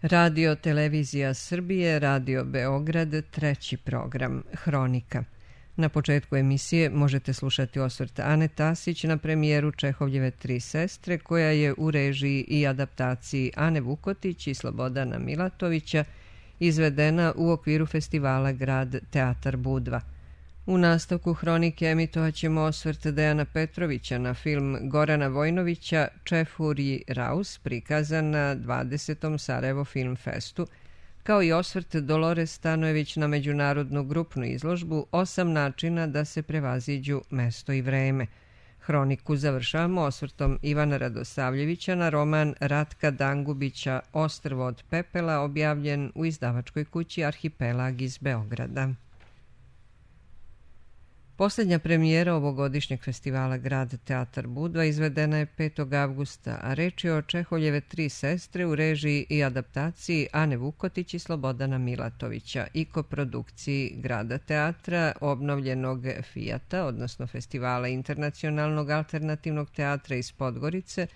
Radio Televizija Srbije, Radio Beograd, treći program, Hronika. Na početku emisije možete slušati osvrt Ane Tasić na premijeru Čehovljeve Tri sestre, koja je u režiji i adaptaciji Ane Vukotić i Slobodana Milatovića izvedena u okviru festivala Grad Teatar Budva. U nastavku Hronike emitovat ćemo osvrt Dejana Petrovića na film Gorana Vojnovića Čefurji Raus, prikazan na 20. Sarajevo Film Festu, kao i osvrt Dolores Stanojević na međunarodnu grupnu izložbu 8 načina da se prevaziđu mesto i vreme. Hroniku završavamo osvrtom Ivana Radosavljevića na roman Ratka Dangubića Ostrvo od pepela, objavljen u izdavačkoj kući Arhipelag iz Beograda. Posljednja premijera ovogodišnjeg festivala Grad Teatar Budva izvedena je 5. avgusta, a reč je o Čehovljeve Tri sestre u režiji i adaptaciji Ane Vukotić i Slobodana Milatovića i koprodukciji Grada teatra, obnovljenog Fijata, odnosno Festivala internacionalnog alternativnog teatra iz Podgorice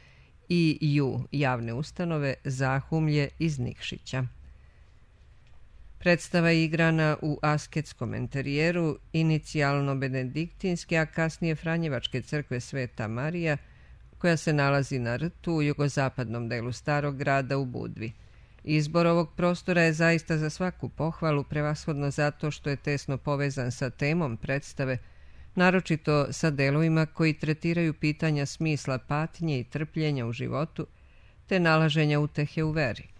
i javne ustanove Zahumlje iz Nikšića. Predstava je igrana u asketskom enterijeru, inicijalno benediktinske, a kasnije Franjevačke crkve Sveta Marija, koja se nalazi na Rtu u jugozapadnom delu Starog grada u Budvi. Izbor ovog prostora je zaista za svaku pohvalu, prevashodno zato što je tesno povezan sa temom predstave, naročito sa delovima koji tretiraju pitanja smisla patnje i trpljenja u životu, te nalaženja utehe u veri.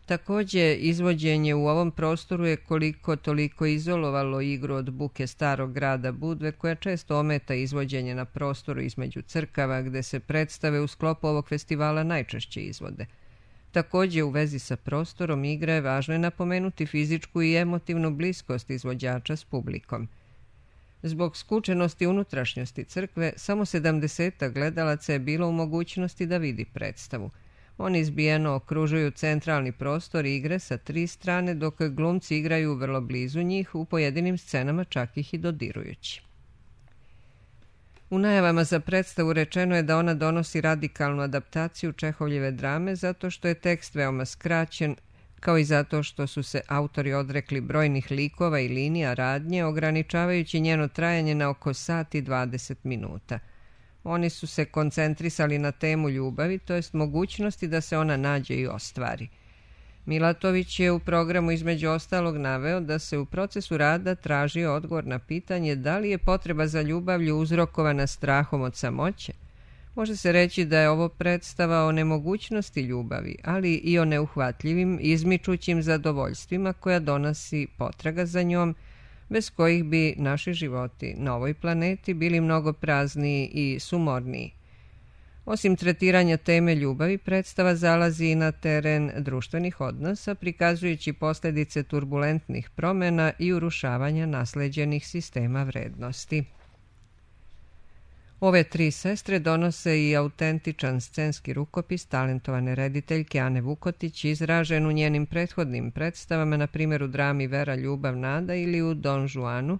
Također, izvođenje u ovom prostoru je koliko toliko izolovalo igru od buke Starog grada Budve, koja često ometa izvođenje na prostoru između crkava, gde se predstave u sklopu ovog festivala najčešće izvode. Također, u vezi sa prostorom igre važno je napomenuti fizičku i emotivnu bliskost izvođača s publikom. Zbog skučenosti unutrašnjosti crkve, samo 70 gledalaca je bilo u mogućnosti da vidi predstavu. Oni izbijeno okružuju centralni prostor igre sa 3 strane, dok glumci igraju vrlo blizu njih, u pojedinim scenama čak ih i dodirujući. U najavama za predstavu rečeno je da ona donosi radikalnu adaptaciju Čehovljeve drame zato što je tekst veoma skraćen, kao i zato što su se autori odrekli brojnih likova i linija radnje, ograničavajući njeno trajanje na oko sat i 20 minuta. Oni su se koncentrisali na temu ljubavi, to jest mogućnosti da se ona nađe i ostvari. Milatović je u programu između ostalog naveo da se u procesu rada tražio odgovor na pitanje da li je potreba za ljubavlju uzrokovana strahom od samoće. Može se reći da je ovo predstava o nemogućnosti ljubavi, ali i o neuhvatljivim, izmičućim zadovoljstvima koja donosi potraga za njom, bez kojih bi naši životi na ovoj planeti bili mnogo prazniji i sumorniji. Osim tretiranja teme ljubavi, predstava zalazi i na teren društvenih odnosa, prikazujući posljedice turbulentnih promjena i urušavanja nasleđenih sistema vrednosti. Ove tri sestre donose i autentičan scenski rukopis talentovane rediteljke Ane Vukotić, izražen u njenim prethodnim predstavama, na primjer u drami Vera, ljubav, nada ili u Don Juanu,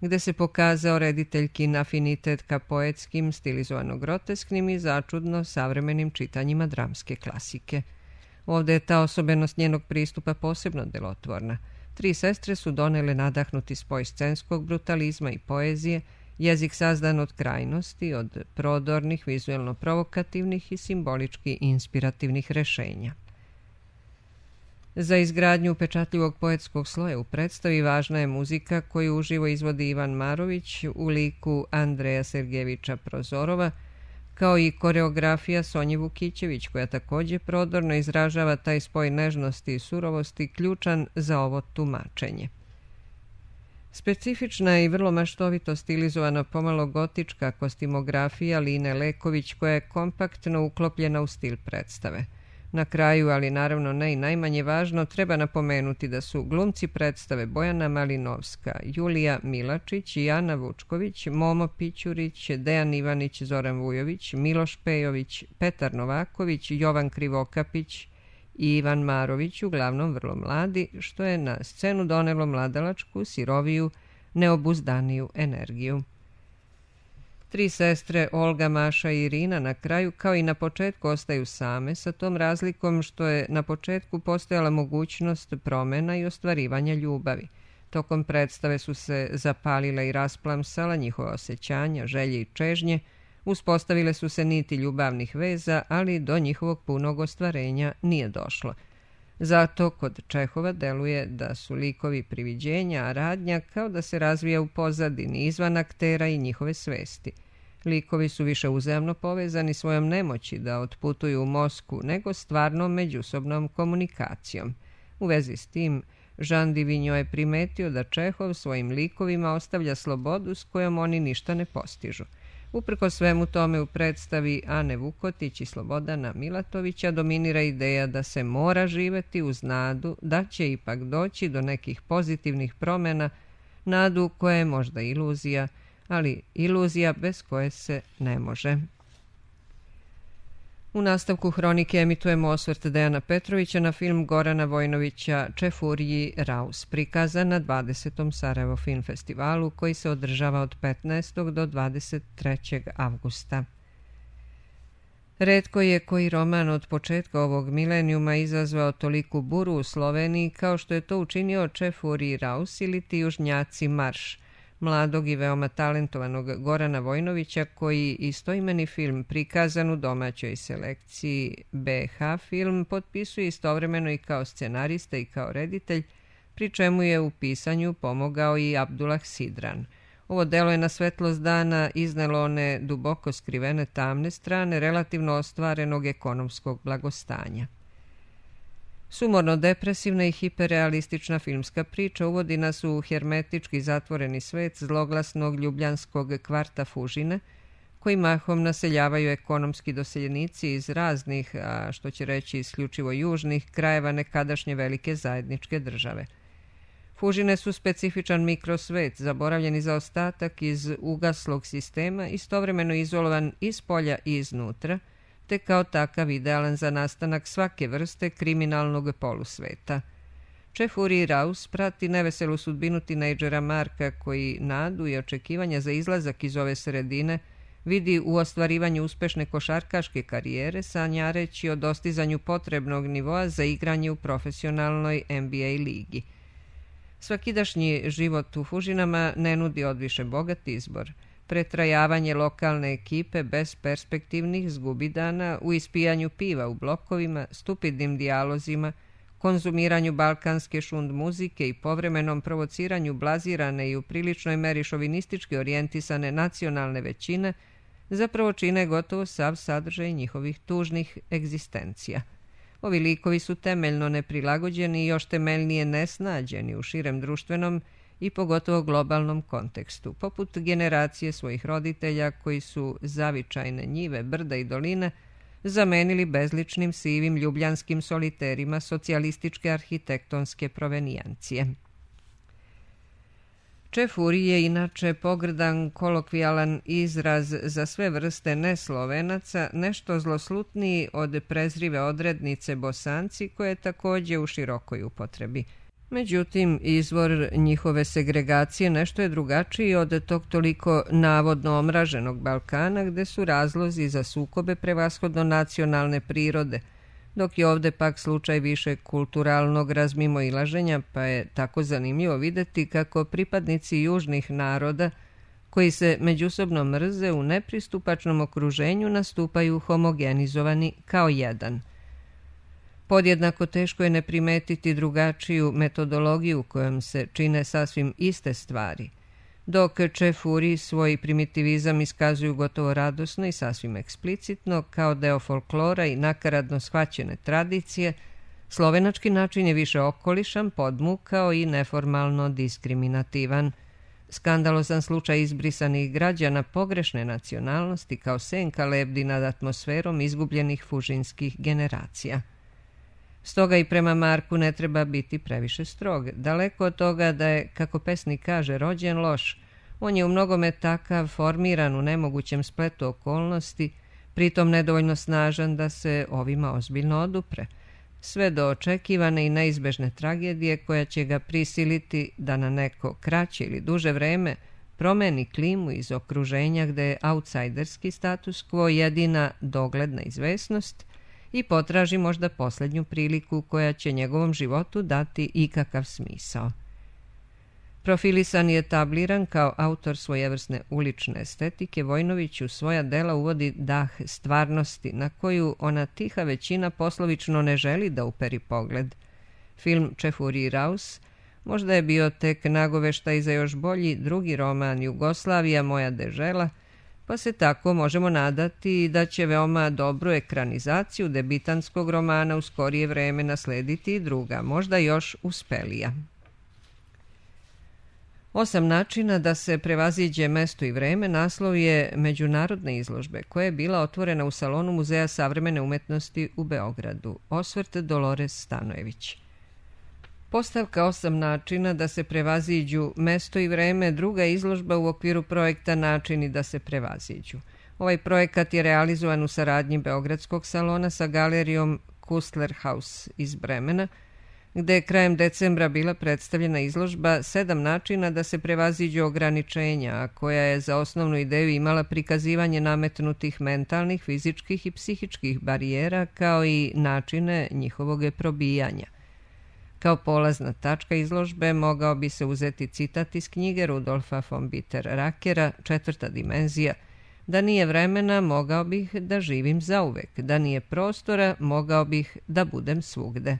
gde se pokazao rediteljkin afinitet ka poetskim, stilizovano grotesknim i začudno savremenim čitanjima dramske klasike. Ovdje je ta osobenost njenog pristupa posebno delotvorna. Tri sestre su donele nadahnuti spoj scenskog brutalizma i poezije, jezik sazdan od krajnosti, od prodornih, vizuelno provokativnih i simbolički inspirativnih rešenja. Za izgradnju upečatljivog poetskog sloja u predstavi važna je muzika koju uživo izvodi Ivan Marović u liku Andreja Sergejevića Prozorova, kao i koreografija Sonje Vukićević, koja također prodorno izražava taj spoj nežnosti i surovosti ključan za ovo tumačenje. Specifična i vrlo maštovito stilizovana pomalo gotička kostimografija Line Leković, koja je kompaktno uklopljena u stil predstave. Na kraju, ali naravno ne i najmanje važno, treba napomenuti da su glumci predstave Bojana Malinovska, Julija Milačić i Ana Vučković, Momo Pićurić, Dejan Ivanić, Zoran Vujović, Miloš Pejović, Petar Novaković, Jovan Krivokapić i Ivan Marović, uglavnom vrlo mladi, što je na scenu donelo mladalačku, siroviju, neobuzdaniju energiju. 3 sestre, Olga, Maša i Irina, na kraju, kao i na početku, ostaju same, sa tom razlikom što je na početku postojala mogućnost promjena i ostvarivanja ljubavi. Tokom predstave su se zapalila i rasplamsala njihova osjećanja, želje i čežnje, uspostavile su se niti ljubavnih veza, ali do njihovog punog ostvarenja nije došlo. Zato kod Čehova deluje da su likovi priviđenja, a radnja kao da se razvija u pozadini, izvan aktera i njihove svesti. Likovi su više uzajamno povezani svojom nemoći da otputuju u mozku nego stvarnom međusobnom komunikacijom. U vezi s tim, Jean Divigno je primetio da Čehov svojim likovima ostavlja slobodu s kojom oni ništa ne postižu. Uprkos svemu tome u predstavi Ane Vukotić i Slobodana Milatovića dominira ideja da se mora živeti uz nadu da će ipak doći do nekih pozitivnih promjena, nadu koja je možda iluzija, ali iluzija bez koje se ne može. U nastavku hronike emitujemo osvrt Dejana Petrovića na film Gorana Vojnovića Čefurji Raus, prikazan na 20. Sarajevo Film Festivalu koji se održava od 15. do 23. avgusta. Retko je koji roman od početka ovog milenijuma izazvao toliku buru u Sloveniji kao što je to učinio Čefurji Raus ili Ti južnjaci marš, mladog i veoma talentovanog Gorana Vojnovića koji istoimeni film prikazan u domaćoj selekciji BH Film potpisuje istovremeno i kao scenarista i kao reditelj, pri čemu je u pisanju pomogao i Abdullah Sidran. Ovo delo je na svetlost dana iznelo one duboko skrivene tamne strane relativno ostvarenog ekonomskog blagostanja. Sumorno-depresivna i hiperrealistična filmska priča uvodi nas u hermetički zatvoreni svet zloglasnog ljubljanskog kvarta Fužine, koji mahom naseljavaju ekonomski doseljenici iz raznih, a što će reći isključivo južnih, krajeva nekadašnje velike zajedničke države. Fužine su specifičan mikrosvet, zaboravljeni zaostatak iz ugaslog sistema, istovremeno izolovan iz polja i iznutra, te kao takav idealan za nastanak svake vrste kriminalnog polusveta. Čefurji Raus prati neveselu sudbinu tinejdžera Marka koji nadu i očekivanja za izlazak iz ove sredine vidi u ostvarivanju uspešne košarkaške karijere, sanjareći o dostizanju potrebnog nivoa za igranje u profesionalnoj NBA ligi. Svakidašnji život u Fužinama ne nudi odviše bogat izbor. Pretrajavanje lokalne ekipe bez perspektivnih zgubidana u ispijanju piva u blokovima, stupidnim dijalozima, konzumiranju balkanske šund muzike i povremenom provociranju blazirane i u priličnoj meri šovinistički orijentisane nacionalne većine zapravo čine gotovo sav sadržaj njihovih tužnih egzistencija. Ovi likovi su temeljno neprilagođeni i još temeljnije nesnađeni u širem društvenom i pogotovo globalnom kontekstu, poput generacije svojih roditelja koji su zavičajne njive, brda i doline zamenili bezličnim sivim ljubljanskim soliterima socijalističke arhitektonske provenijancije. Čefurji je inače pogrdan kolokvijalan izraz za sve vrste neslovenaca, nešto zloslutniji od prezrive odrednice Bosanci koje je također u širokoj upotrebi. Međutim, izvor njihove segregacije nešto je drugačiji od tog toliko navodno omraženog Balkana, gde su razlozi za sukobe prevashodno nacionalne prirode, dok je ovde pak slučaj više kulturalnog razmimoilaženja, pa je tako zanimljivo videti kako pripadnici južnih naroda, koji se međusobno mrze u nepristupačnom okruženju, nastupaju homogenizovani kao jedan. Podjednako teško je ne primetiti drugačiju metodologiju kojom se čine sasvim iste stvari. Dok Čefurji svoj primitivizam iskazuju gotovo radosno i sasvim eksplicitno, kao deo folklora i nakaradno shvaćene tradicije, slovenački način je više okolišan, podmukao i neformalno diskriminativan. Skandalozan slučaj izbrisanih građana pogrešne nacionalnosti kao senka lebdi nad atmosferom izgubljenih fužinskih generacija. Stoga i prema Marku ne treba biti previše strog. Daleko od toga da je, kako pesnik kaže, rođen loš, on je u mnogome takav formiran u nemogućem spletu okolnosti, pritom nedovoljno snažan da se ovima ozbiljno odupre, sve do očekivane i neizbežne tragedije koja će ga prisiliti da na neko kraće ili duže vreme promeni klimu iz okruženja gde je outsiderski status quo jedina dogledna izvesnost i potraži možda posljednju priliku koja će njegovom životu dati ikakav smisao. Profilisan i etabliran kao autor svojevrsne ulične estetike, Vojnović u svoja dela uvodi dah stvarnosti na koju ona tiha većina poslovično ne želi da uperi pogled. Film Čefuri i Raus možda je bio tek nagoveštaj za još bolji drugi roman Jugoslavija, moja dežela, pa se tako možemo nadati da će veoma dobru ekranizaciju debitanskog romana u skorije vreme naslediti i druga, možda još uspelija. 8 načina da se prevaziđe mesto i vreme naslov je međunarodne izložbe koja je bila otvorena u salonu Muzeja savremene umetnosti u Beogradu. Osvrt Dolores Stanojević. Postavka 8 načina da se prevaziđu mesto i vreme, druga izložba u okviru projekta Načini da se prevaziđu. Ovaj projekat je realizovan u saradnji Beogradskog salona sa galerijom Kustler Haus iz Bremena, gde je krajem decembra bila predstavljena izložba 7 načina da se prevaziđu ograničenja, a koja je za osnovnu ideju imala prikazivanje nametnutih mentalnih, fizičkih i psihičkih barijera, kao i načine njihovog probijanja. Kao polazna tačka izložbe mogao bi se uzeti citat iz knjige Rudolfa von Bitter-Rakera Četvrta dimenzija: da nije vremena, mogao bih da živim zauvek, da nije prostora, mogao bih da budem svugde.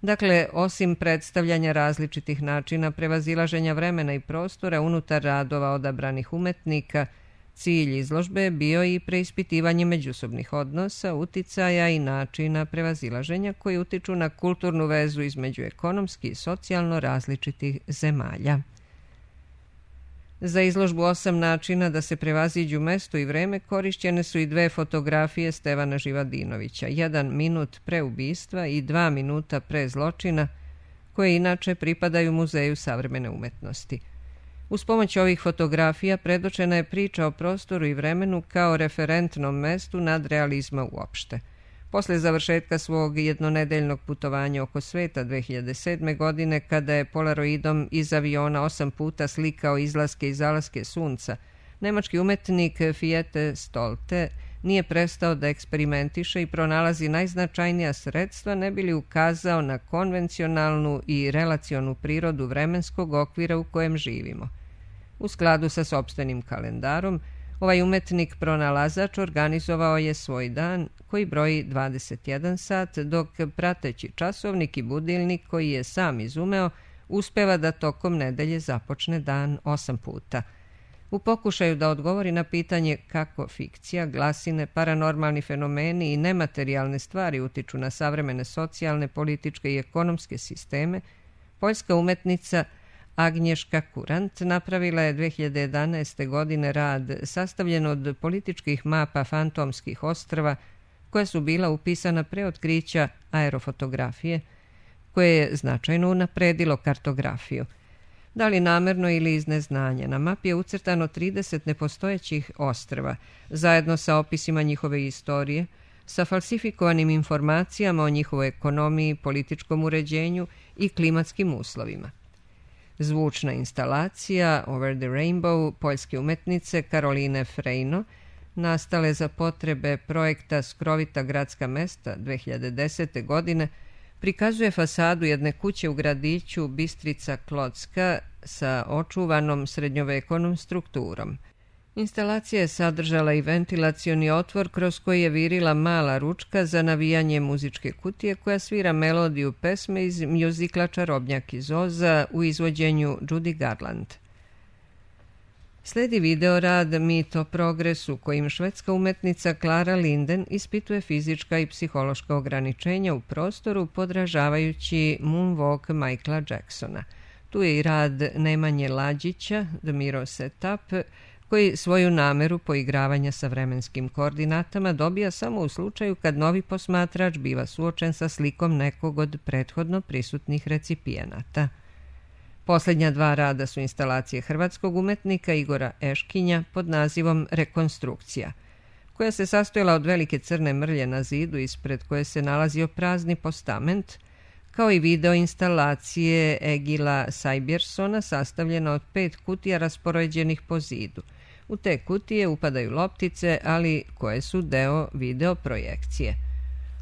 Dakle, osim predstavljanja različitih načina prevazilaženja vremena i prostora unutar radova odabranih umetnika, cilj izložbe je bio i preispitivanje međusobnih odnosa, uticaja i načina prevazilaženja koji utiču na kulturnu vezu između ekonomski i socijalno različitih zemalja. Za izložbu 8 načina da se prevaziđu mesto i vreme korišćene su i 2 fotografije Stevana Živadinovića, 1 minut pre ubistva i 2 minuta pre zločina, koje inače pripadaju Muzeju savremene umetnosti. Uz pomoć ovih fotografija predočena je priča o prostoru i vremenu kao referentnom mestu nadrealizma uopšte. Posle završetka svog jednonedeljnog putovanja oko sveta 2007. godine, kada je polaroidom iz aviona 8 puta slikao izlaske i zalaske sunca, nemački umetnik Fiete Stolte nije prestao da eksperimentiše i pronalazi najznačajnija sredstva ne bi li ukazao na konvencionalnu i relacionu prirodu vremenskog okvira u kojem živimo. U skladu sa sopstvenim kalendarom, ovaj umetnik pronalazač organizovao je svoj dan koji broji 21 sat, dok prateći časovnik i budilnik koji je sam izumeo uspeva da tokom nedelje započne dan 8 puta. U pokušaju da odgovori na pitanje kako fikcija, glasine, paranormalni fenomeni i nematerijalne stvari utiču na savremene socijalne, političke i ekonomske sisteme, poljska umetnica Agnješka Kurant napravila je 2011. godine rad sastavljen od političkih mapa fantomskih ostrva koja su bila upisana pre otkrića aerofotografije, koje je značajno unapredilo kartografiju. Da li namerno ili iz neznanja, na mapi je ucrtano 30 nepostojećih ostrva, zajedno sa opisima njihove istorije, sa falsifikovanim informacijama o njihovoj ekonomiji, političkom uređenju i klimatskim uslovima. Zvučna instalacija Over the Rainbow poljske umetnice Karoline Frejno, nastale za potrebe projekta Skrovita gradska mesta 2010. godine, prikazuje fasadu jedne kuće u gradiću Bistrica Klocka sa očuvanom srednjovekovnom strukturom. Instalacija je sadržala i ventilacioni otvor kroz koji je virila mala ručka za navijanje muzičke kutije koja svira melodiju pesme iz mjuzikla Čarobnjak iz Oza u izvođenju Judy Garland. Sledi videorad Mit o progresu kojim švedska umetnica Clara Linden ispituje fizička i psihološka ograničenja u prostoru podražavajući moonwalk Michaela Jacksona. Tu je i rad Nemanje Lađića, The Mirror Setup, koji svoju nameru poigravanja sa vremenskim koordinatama dobija samo u slučaju kad novi posmatrač biva suočen sa slikom nekog od prethodno prisutnih recipijenata. Posljednja 2 rada su instalacije hrvatskog umetnika Igora Eškinja pod nazivom Rekonstrukcija, koja se sastojala od velike crne mrlje na zidu ispred koje se nalazio prazni postament, kao i video instalacije Egila Sajbjersona sastavljena od 5 kutija raspoređenih po zidu. U te kutije upadaju loptice, ali koje su deo video projekcije.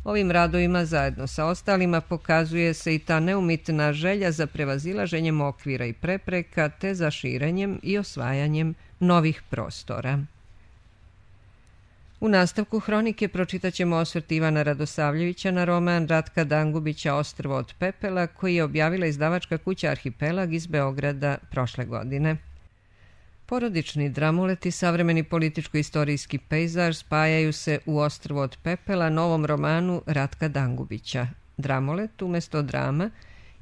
Ovim radovima zajedno sa ostalima pokazuje se i ta neumitna želja za prevazilaženjem okvira i prepreka te za širenjem i osvajanjem novih prostora. U nastavku hronike pročitat ćemo osvrt Ivana Radosavljevića na roman Ratka Dangubića Ostrvo od pepela, koji je objavila izdavačka kuća Arhipelag iz Beograda prošle godine. Porodični dramulet i savremeni političko-istorijski pejzaž spajaju se u Ostrvo od pepela, novom romanu Ratka Dangubića. Dramulet umjesto drama,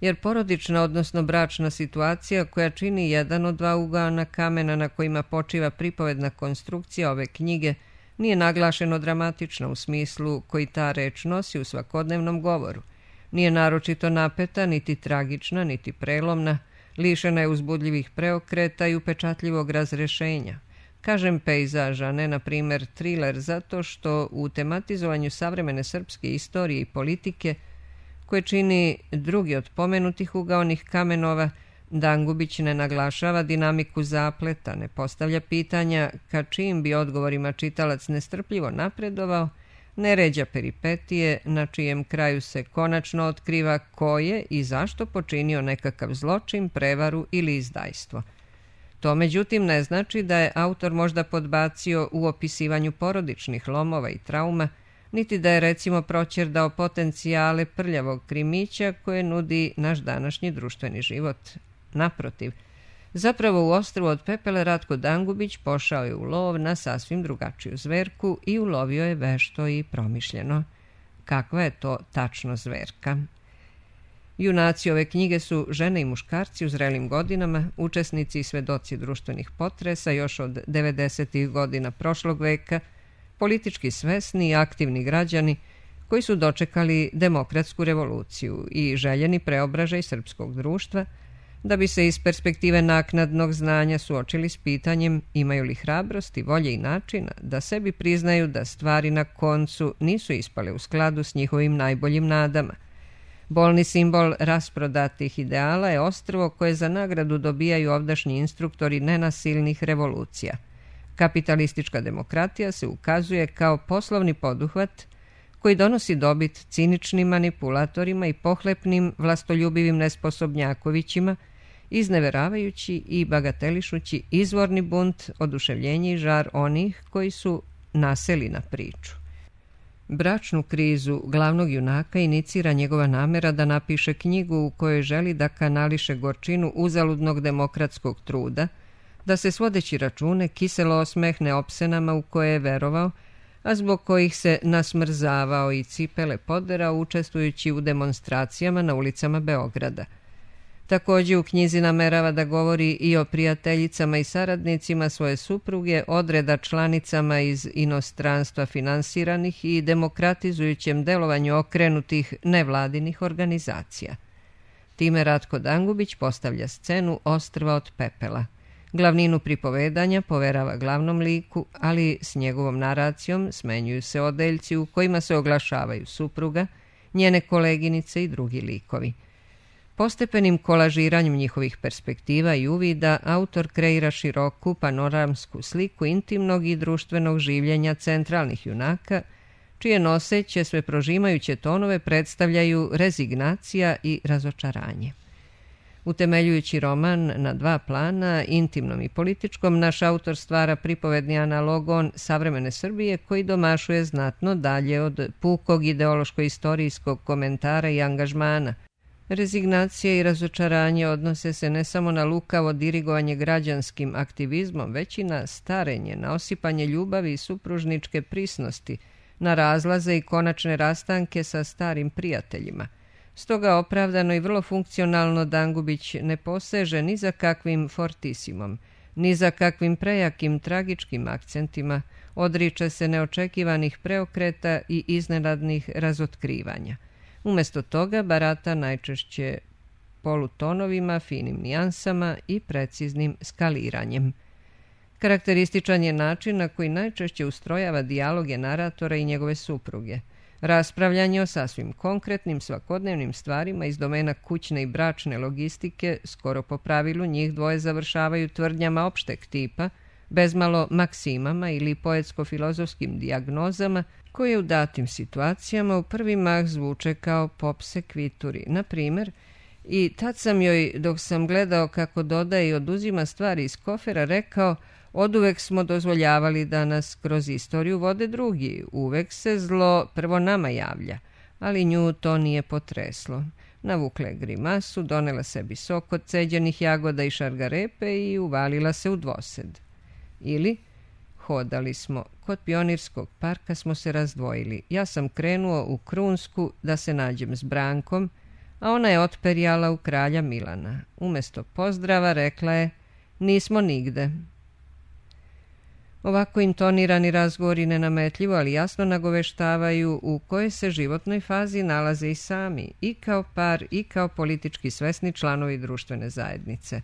jer porodična, odnosno bračna situacija koja čini jedan od dva ugaona kamena na kojima počiva pripovedna konstrukcija ove knjige, nije naglašeno dramatična u smislu koji ta reč nosi u svakodnevnom govoru. Nije naročito napeta, niti tragična, niti prelomna, lišena je uzbudljivih preokreta i upečatljivog razrešenja. Kažem pejzaža, ne na primjer triler, zato što u tematizovanju savremene srpske istorije i politike, koje čini drugi od pomenutih ugaonih kamenova, Dangubić ne naglašava dinamiku zapleta, ne postavlja pitanja ka čijim bi odgovorima čitalac nestrpljivo napredovao, ne ređa peripetije na čijem kraju se konačno otkriva ko je i zašto počinio nekakav zločin, prevaru ili izdajstvo. To međutim ne znači da je autor možda podbacio u opisivanju porodičnih lomova i trauma, niti da je recimo proćerdao potencijale prljavog krimića koje nudi naš današnji društveni život. Naprotiv, zapravo u Ostrvu od pepela Ratko Dangubić pošao je u lov na sasvim drugačiju zverku i ulovio je vešto i promišljeno. Kakva je to tačno zverka? Junaci ove knjige su žene i muškarci u zrelim godinama, učesnici i svedoci društvenih potresa još od 90. godina prošlog veka, politički svesni i aktivni građani koji su dočekali demokratsku revoluciju i željeni preobražaj srpskog društva, da bi se iz perspektive naknadnog znanja suočili s pitanjem imaju li hrabrosti, volje i načina da sebi priznaju da stvari na koncu nisu ispale u skladu s njihovim najboljim nadama. Bolni simbol rasprodatih ideala je ostrvo koje za nagradu dobijaju ovdašnji instruktori nenasilnih revolucija. Kapitalistička demokratija se ukazuje kao poslovni poduhvat koji donosi dobit ciničnim manipulatorima i pohlepnim vlastoljubivim nesposobnjakovićima, izneveravajući i bagatelišući izvorni bunt, oduševljenje i žar onih koji su naseli na priču. Bračnu krizu glavnog junaka inicira njegova namera da napiše knjigu u kojoj želi da kanališe gorčinu uzaludnog demokratskog truda, da se svodeći račune kiselo osmehne opsenama u koje je verovao, a zbog kojih se nasmrzavao i cipele poderao učestvujući u demonstracijama na ulicama Beograda. Također u knjizi namerava da govori i o prijateljicama i saradnicima svoje supruge, odreda članicama iz inostranstva finansiranih i demokratizujućem delovanju okrenutih nevladinih organizacija. Time Ratko Dangubić postavlja scenu Ostrva od pepela. Glavninu pripovedanja poverava glavnom liku, ali s njegovom naracijom smenjuju se odeljci u kojima se oglašavaju supruga, njene koleginice i drugi likovi. Postepenim kolažiranjem njihovih perspektiva i uvida autor kreira široku panoramsku sliku intimnog i društvenog življenja centralnih junaka, čije noseće sve prožimajuće tonove predstavljaju rezignacija i razočaranje. Utemeljujući roman na dva plana, intimnom i političkom, naš autor stvara pripovedni analogon savremene Srbije koji domašuje znatno dalje od pukog ideološko-istorijskog komentara i angažmana. Rezignacija i razočaranje odnose se ne samo na lukavo dirigovanje građanskim aktivizmom, već i na starenje, na osipanje ljubavi i supružničke prisnosti, na razlaze i konačne rastanke sa starim prijateljima. Stoga opravdano i vrlo funkcionalno Dangubić ne poseže ni za kakvim fortisimom, ni za kakvim prejakim tragičkim akcentima, odriče se neočekivanih preokreta i iznenadnih razotkrivanja. Umjesto toga barata najčešće polutonovima, finim nijansama i preciznim skaliranjem. Karakterističan je način na koji najčešće ustrojava dijaloge naratora i njegove supruge. Raspravljanje o sasvim konkretnim svakodnevnim stvarima iz domena kućne i bračne logistike skoro po pravilu njih dvoje završavaju tvrdnjama opšteg tipa, bezmalo maksimama ili poetsko-filozofskim dijagnozama koje u datim situacijama u prvi mah zvuče kao pop sekvituri. Na primjer, i tad sam joj, dok sam gledao kako dodaje i oduzima stvari iz kofera, rekao: oduvek smo dozvoljavali da nas kroz istoriju vode drugi, uvek se zlo prvo nama javlja, ali nju to nije potreslo. Navukla je grimasu, donela sebi sok od ceđenih jagoda i šargarepe i uvalila se u dvosed. Ili, hodali smo, kod Pionirskog parka smo se razdvojili. Ja sam krenuo u Krunsku da se nađem s Brankom, a ona je otperjala u Kralja Milana. Umesto pozdrava rekla je: nismo nigde. Ovako intonirani razgovori nenametljivo, ali jasno nagoveštavaju u kojoj se životnoj fazi nalaze i sami, i kao par i kao politički svesni članovi društvene zajednice.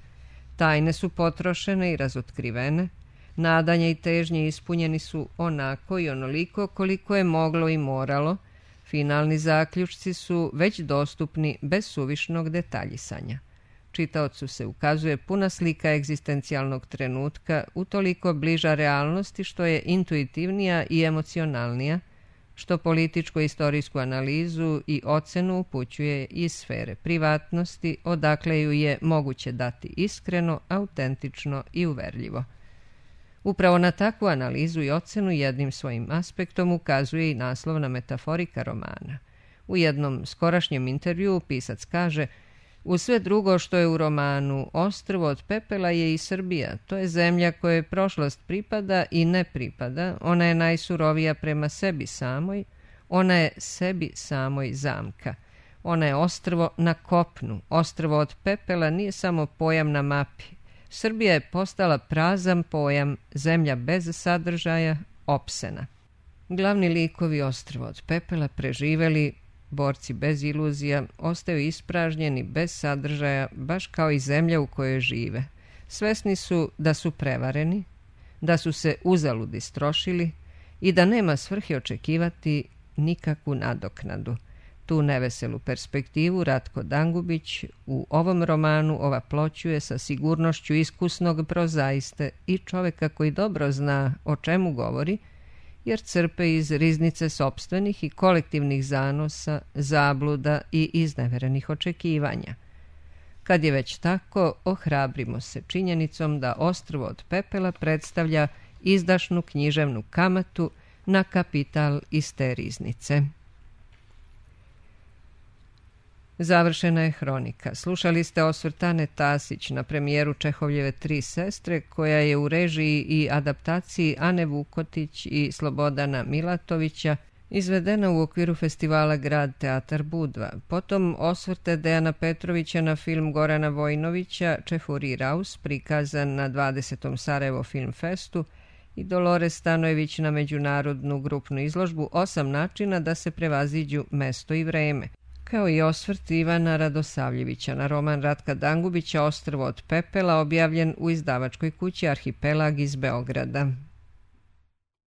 Tajne su potrošene i razotkrivene, nadanja i težnje ispunjeni su onako i onoliko koliko je moglo i moralo, finalni zaključci su već dostupni bez suvišnog detaljisanja. Čitaocu se ukazuje puna slika egzistencijalnog trenutka, utoliko bliža realnosti što je intuitivnija i emocionalnija, što političko-istorijsku analizu i ocenu upućuje iz sfere privatnosti, odakle ju je moguće dati iskreno, autentično i uverljivo. Upravo na takvu analizu i ocenu jednim svojim aspektom ukazuje i naslovna metaforika romana. U jednom skorašnjem intervjuu pisac kaže: uz sve drugo što je u romanu, ostrvo od pepela je i Srbija. To je zemlja kojoj prošlost pripada i ne pripada. Ona je najsurovija prema sebi samoj. Ona je sebi samoj zamka. Ona je ostrvo na kopnu. Ostrvo od pepela nije samo pojam na mapi. Srbija je postala prazan pojam, zemlja bez sadržaja, opsena. Glavni likovi ostrvo od pepela preživeli, borci bez iluzija, ostaju ispražnjeni, bez sadržaja, baš kao i zemlja u kojoj žive. Svesni su da su prevareni, da su se uzalud istrošili i da nema svrhe očekivati nikakvu nadoknadu. Tu neveselu perspektivu Ratko Dangubić u ovom romanu ovaploćuje sa sigurnošću iskusnog prozaiste i čoveka koji dobro zna o čemu govori, jer crpe iz riznice sopstvenih i kolektivnih zanosa, zabluda i izneverenih očekivanja. Kad je već tako, ohrabrimo se činjenicom da ostrvo od pepela predstavlja izdašnu književnu kamatu na kapital iz te riznice. Završena je hronika. Slušali ste osvrt Ane Tasić na premijeru Čehovljeve Tri sestre, koja je u režiji i adaptaciji Ane Vukotić i Slobodana Milatovića izvedena u okviru festivala Grad teatar Budva. Potom osvrte Dejana Petrovića na film Gorana Vojnovića Čefuri Raus, prikazan na 20. Sarajevo Film Festu, i Dolores Stanojević na međunarodnu grupnu izložbu 8 načina da se prevaziđu mesto i vreme, kao i osvrt Ivana Radosavljevića na roman Ratka Dangubića Ostrvo od pepela, objavljen u izdavačkoj kući Arhipelag iz Beograda.